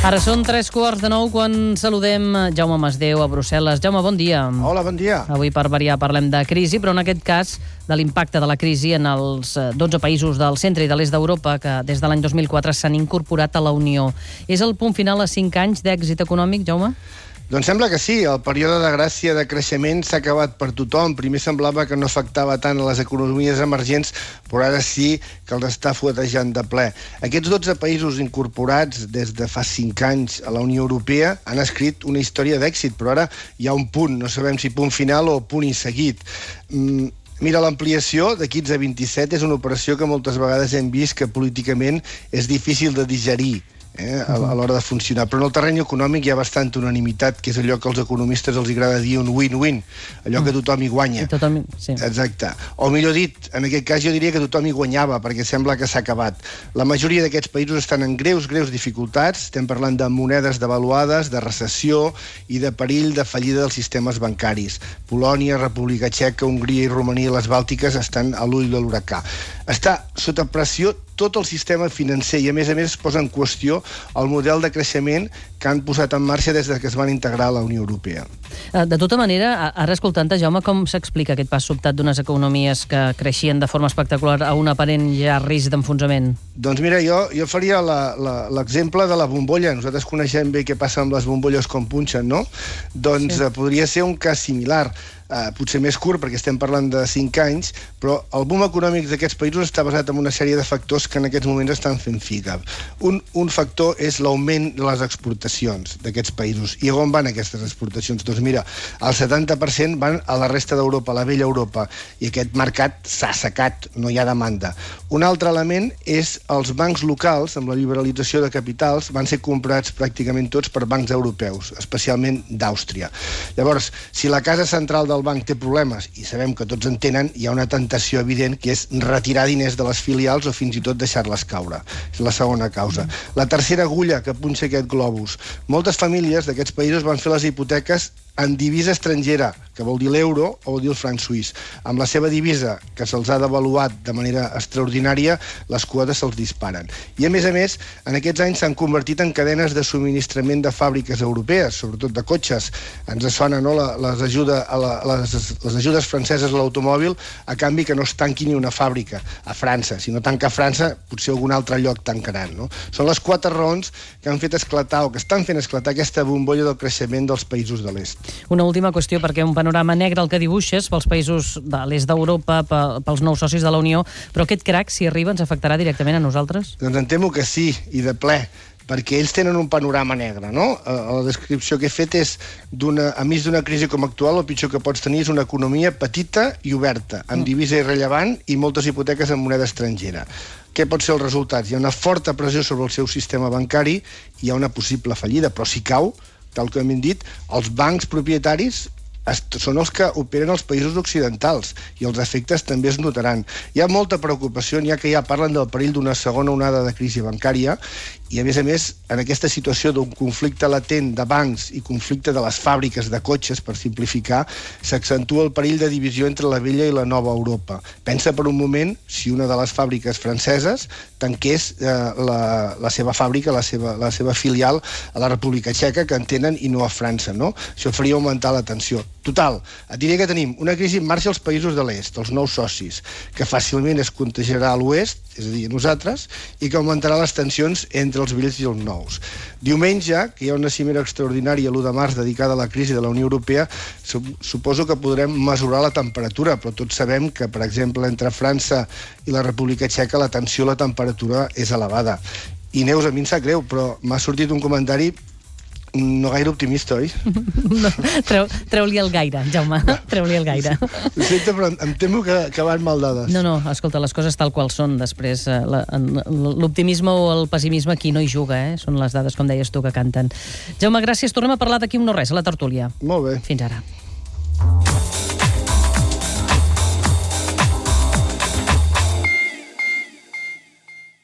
Ara són 3:15 quan saludem Jaume Masdeu a Brussel·les. Jaume, bon dia. Hola, bon dia. Avui, per variar, parlem de crisi, però en aquest cas de l'impacte de la crisi en els 12 països del centre i de l'est d'Europa que des de l'any 2004 s'han incorporat a la Unió. És el punt final a 5 anys d'èxit econòmic, Jaume? Doncs sembla que sí. El període de gràcia de creixement s'ha acabat per tothom. Primer semblava que no afectava tant a les economies emergents, però ara sí que els està fuetejant de ple. Aquests 12 països incorporats des de fa 5 anys a la Unió Europea han escrit una història d'èxit, però ara hi ha un punt, no sabem si punt final o punt i seguit. Mira, l'ampliació de 15 a 27 és una operació que moltes vegades hem vist que políticament és difícil de digerir a l'hora de funcionar. Però en el terreny econòmic hi ha bastanta unanimitat, que és allò que als economistes els agrada dir un win-win, allò que tothom hi guanya. Sí. Exacte. O millor dit, en aquest cas jo diria que tothom hi guanyava, perquè sembla que s'ha acabat. La majoria d'aquests països estan en greus dificultats. Estem parlant de monedes devaluades, de recessió i de perill de fallida dels sistemes bancaris. Polònia, República Txeca, Hongria i Romania i les Bàltiques estan a l'ull de l'huracà. Està sota pressió tot el sistema financer i, a més es posa en qüestió el model de creixement que han posat en marxa des que es van integrar a la Unió Europea. De tota manera, ara escoltant-te, Jaume, com s'explica aquest pas sobtat d'unes economies que creixien de forma espectacular a un aparent ja risc d'enfonsament? Doncs mira, jo faria l'exemple de la bombolla. Nosaltres coneixem bé què passa amb les bombolles com punxen, no? Doncs sí. Podria ser un cas similar. Potser més curt, perquè estem parlant de 5 anys, però el boom econòmic d'aquests països està basat en una sèrie de factors que en aquests moments estan fent figa. Un factor és l'augment de les exportacions d'aquests països. I on van aquestes exportacions? Doncs mira, el 70% van a la resta d'Europa, a la vella Europa, i aquest mercat s'ha assecat, no hi ha demanda. Un altre element és els bancs locals, amb la liberalització de capitals, van ser comprats pràcticament tots per bancs europeus, especialment d'Àustria. Llavors, si la casa central del banc té problemes, i sabem que tots en tenen, hi ha una tentació evident que és retirar diners de les filials o fins i tot deixar-les caure. És la segona causa. La tercera agulla que punxa aquest globus. Moltes famílies d'aquests països van fer les hipoteques en divisa estrangera, que vol dir l'euro o vol dir el franc suís. Amb la seva divisa, que se'ls ha devaluat de manera extraordinària, les quotes se'ls disparen. I a més, en aquests anys s'han convertit en cadenes de subministrament de fàbriques europees, sobretot de cotxes. Ens sona, no?, les ajudes franceses a l'automòbil a canvi que no es tanqui ni una fàbrica a França. Si no tanca França, potser algun altre lloc tancaran, no? Són les 4 raons que han fet esclatar o que estan fent esclatar aquesta bombolla del creixement dels països de l'est. Una última qüestió, perquè un panorama negre el que dibuixes pels països de l'est d'Europa, pels nous socis de la Unió, però aquest crac, si arriba, ens afectarà directament a nosaltres? Doncs em temo que sí, i de ple, perquè ells tenen un panorama negre, no? La descripció que he fet és, enmig d'una crisi com actual, el pitjor que pots tenir és una economia petita i oberta, amb divisa irrellevant i moltes hipoteques en moneda estrangera. Què pot ser el resultat? Hi ha una forta pressió sobre el seu sistema bancari i hi ha una possible fallida, però si cau, tal com hem dit, els bancs propietaris són els que operen als països occidentals i els efectes també es notaran. Hi ha molta preocupació, n'hi ha que ja parlen del perill d'una segona onada de crisi bancària i, a més, en aquesta situació d'un conflicte latent de bancs i conflicte de les fàbriques de cotxes, per simplificar, s'accentua el perill de divisió entre la vella i la nova Europa. Pensa per un moment si una de les fàbriques franceses tanqués la seva fàbrica, la seva filial a la República Txeca, que en tenen, i no a França, no? Això faria augmentar la tensió. Total, et diré que tenim una crisi en marxa als països de l'est, els nous socis, que fàcilment es contagiarà a l'oest, és a dir, a nosaltres, i que augmentarà les tensions entre els vells i els nous. Diumenge, que hi ha una cimera extraordinària l'1 de març dedicada a la crisi de la Unió Europea, suposo que podrem mesurar la temperatura, però tots sabem que, per exemple, entre França i la República Txeca la tensió a la temperatura és elevada. I Neus, a mi em sap greu, però m'ha sortit un comentari no gaire optimista, oi? No, treu-li el gaire, Jaume, treu-li el gaire. Ho sento, però em temo que van mal dades. No, escolta, les coses tal qual són. Després, l'optimisme o el pessimisme aquí no hi juga, són les dades, com deies tu, que canten. Jaume, gràcies. Tornem a parlar d'aquí un no res, a la tertúlia. Molt bé. Fins ara.